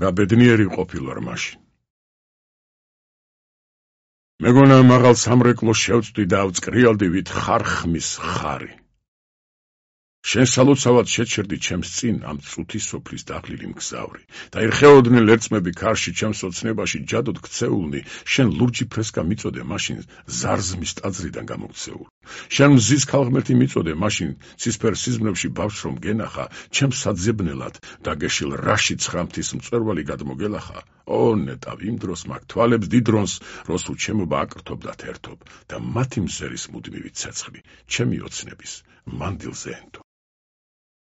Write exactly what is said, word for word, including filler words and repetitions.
რა ბედნიერი ყოფილვარ მაშინ. მეგონა მაღალ სამრეკლოს შევწვდი და ავწკრიალდი ვით ხარხმის ხარი. შენ სალოცავად შეჩერდი ჩემს წინ ამ წუთი სოფლის დაღლილი მგზავრი და ერხეოდნენ ლერწმები ქარში ჩემს ოცნებაში ჯადოდ ქცეულნი, შენ ლურჯი ფრესკა მიწოდე მაშინ ზარზმის ტაძრიდან გამოქცეულ. შენ მზის ქალღმერთი მიწოდე მაშინ ცისფერ სიზმნებში ბავშვს რომ გენახა, ჩემს საძებნელად დაგეშილ რაში ცხრამთის მწვერვალი გადმოგელახა. ო ნეტავ იმ დროს მაგ თვალებს დიდრონს, როსუ ჩემობა აკრთობდათ ერთობ და მათი მზერის მუდმივი ცეცხლი, ჩემი ოცნების მანდილზე ენთო.